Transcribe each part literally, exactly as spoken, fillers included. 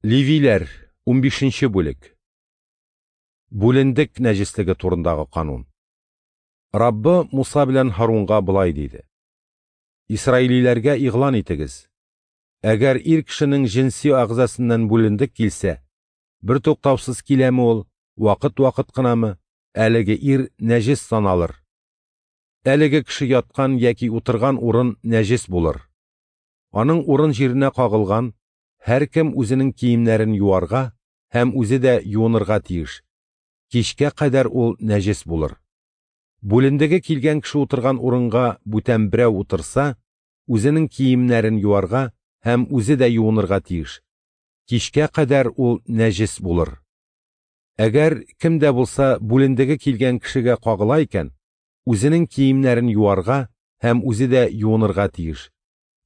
Левиләр, унбишенче бүлек. Бүлендек нәҗеслеге турындагы канун. Раббы Муса белән Һарунга болай диде: Исраилиләргә игълан итегез: әгәр ир кешенең җенси әгъзасыннан бүлендек килсә, бертуктаусыз киләме ул, вакыт-вакыт кынамы, әлеге ир нәҗес саналыр. Әлеге кеше яткан яки утырган урын нәҗес булыр. Аның урын җиренә кагылган һәркем үзенең киемнәрен юарга һәм үзе дә юынырга тиеш. Кичкә кадәр ул нәҗес булыр. Бүлендеге килгән кеше утырган урынга бүтән берәү утырса, үзенең киемнәрен юарга һәм үзе дә юынырга тиеш. Кичкә кадәр ул нәҗес булыр. Әгәр кем дә булса бүлендеге килгән кешегә кагыла икән, үзенең киемнәрен юарга һәм үзе дә юынырга тиеш.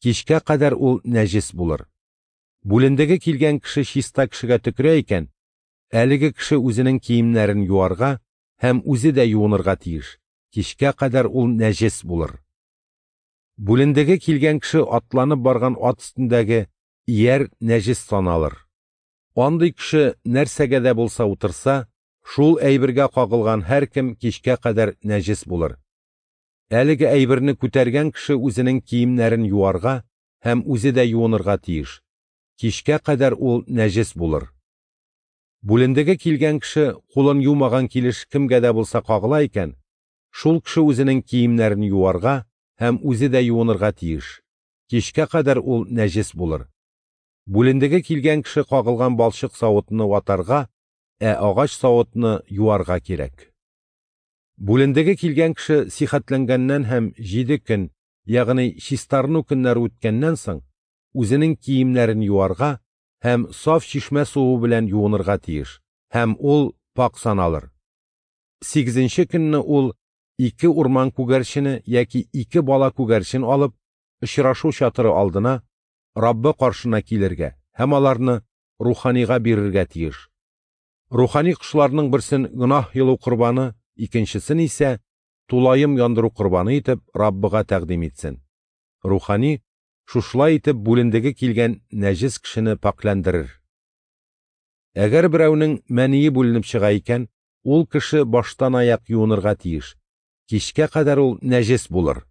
Кичкә кадәр ул нәҗес булыр. Бүлендеге килгән кеше чиста кешегә төкерә икән, әлеге кеше үзенең киемнәрен юарга һәм үзе дә юынырга тиеш. Кичкә кадәр ул нәҗес булыр. Бүлендеге килгән кеше атланып барган ат өстендәге ияр нәҗес саналыр. Андый кеше нәрсәгә дә булса утырса, шул әйбергә кагылган һәркем кичкә кадәр нәҗес булыр. Әлеге әйберне күтәргән кеше үзенең киемнәрен юарга һәм үзе дә юынырга тиеш. Кичкә кадәр ул нәҗес булыр. Бүлендеге килгән кеше кулын юмаган килеш кемгә дә булса кагыла икән, шул кеше үзенең киемнәрен юарга һәм үзе дә юынырга тиеш. Кичкә кадәр ул нәҗес булыр. Бүлендеге килгән кеше кагылган балчык савытны ватарга, ә агач савытны юарга кирәк. Бүлендеге килгән кеше сихәтләнгәннән һәм җиде көн, ягъни чистарыну көннәре үткәннән соң, үзенең киемнәрен юарга һәм саф чишмә суы белән юынырга тиеш, һәм ул пак саналыр. Сигезенче көнне ул ике урман күгәрчене яки ике бала күгәрчен алып, очрашу чатыры алдына, Раббы каршына килергә һәм аларны руханига бирергә тиеш. Рухани кошларның берсен гөнаһ йолу корбаны, икенчесен исә тулаем яндыру корбаны итеп Раббыга тәкъдим итсен. Рухани шушылай итеп бүлендеге килгән нәҗес кешене пакьләндерер. Әгәр берәүнең мәние бүленеп чыга икән, ул кеше баштан аяк юынырга тиеш. Кичкә кадәр ул нәҗес булыр.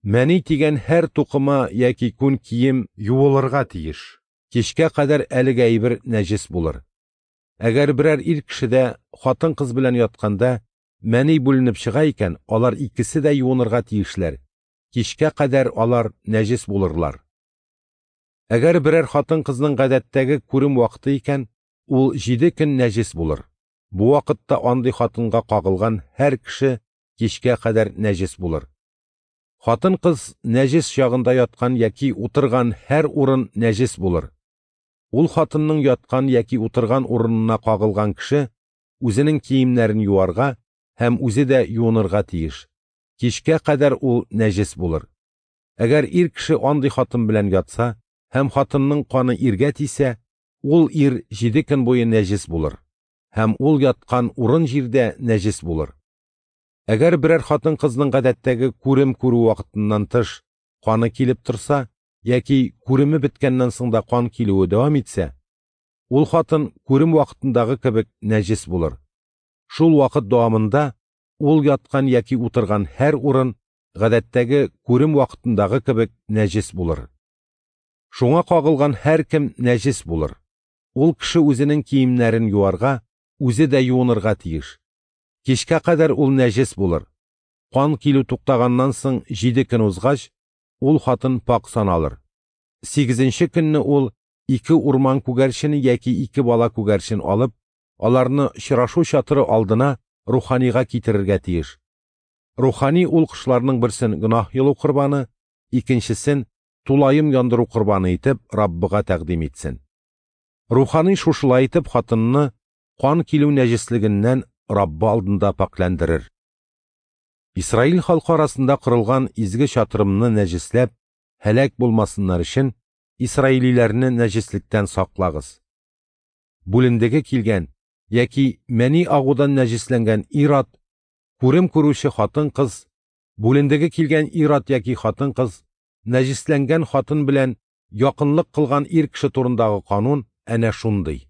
Мәни тигән һәр тукыма яки күн кием юылырга тиеш. Кичкә кадәр әлеге әйбер нәҗес булыр. Әгәр берәр ир кешедә хатын-кыз белән ятканда мәни бүленеп чыга икән, алар икесе дә юынырга тиешләр. Кичкә кадәр алар нәҗес булырлар. Әгәр берәр хатын-кызның гадәттәге күрем вакыты икән, ул җиде көн нәҗес булыр. Бу вакытта андый хатынга кагылган һәр кеше кичкә кадәр нәҗес булыр. Хатын-кыз нәҗес чагында яткан яки утырган һәр урын нәҗес булыр. Ул хатынның яткан яки утырган урынына кагылган кеше үзенең киемнәрен юарга һәм үзе дә юынырга тиеш. Кичкә кадәр ул нәҗес булыр. Әгәр ир кеше андый хатын белән ятса һәм хатынның каны иргә тисә, ул ир җиде көн буе нәҗес булыр һәм ул яткан урын җирдә нәҗес булыр. Әгәр берәр хатын-кызның гадәттәге күрем күрү вакытыннан тыш каны килеп торса, яки күреме беткәннән соң да кан килүе дәвам итсә, ул хатын күрем вакытындагы кебек нәҗес булыр. Шул вакыт дәвамында ул яткан яки утырган һәр урын гадәттәге күрем вакытындагы кебек нәҗес булыр. Шуңа кагылган һәркем нәҗес булыр. Ул кеше үзенең киемнәрен юарга, үзе дә юынырга тиеш. Кичкә кадәр ул нәҗес булыр. Кан килү туктаганнан соң җиде көн узгач, ул хатын пак саналыр. Сигезенче көнне ул ике урман күгәрчене яки ике бала күгәрчен алып, аларны очрашу чатыры алдына руханига китерергә тиеш. Рухани ул кошларның берсен гөнаһ йолу корбаны, икенчесен тулаем яндыру корбаны итеп Раббыга тәкъдим итсен. Рухани шушылай итеп хатынны кан килү нәҗеслегеннән Раббы алдында пакьләндерер. Исраил халкы арасында корылган изге чатырымны нәҗесләп, һәлак булмасыннар өчен исраилиләрне нәҗеслектән саклагыз. Бүлендеге килгән яки мәни агудан нәҗесләнгән ир-ат, күрем күрүче хатын-кыз, бүлендеге килгән ир-ат яки хатын-кыз, нәҗесләнгән хатын белән якынлык кылган ир кеше турындагы канун әнә шундый.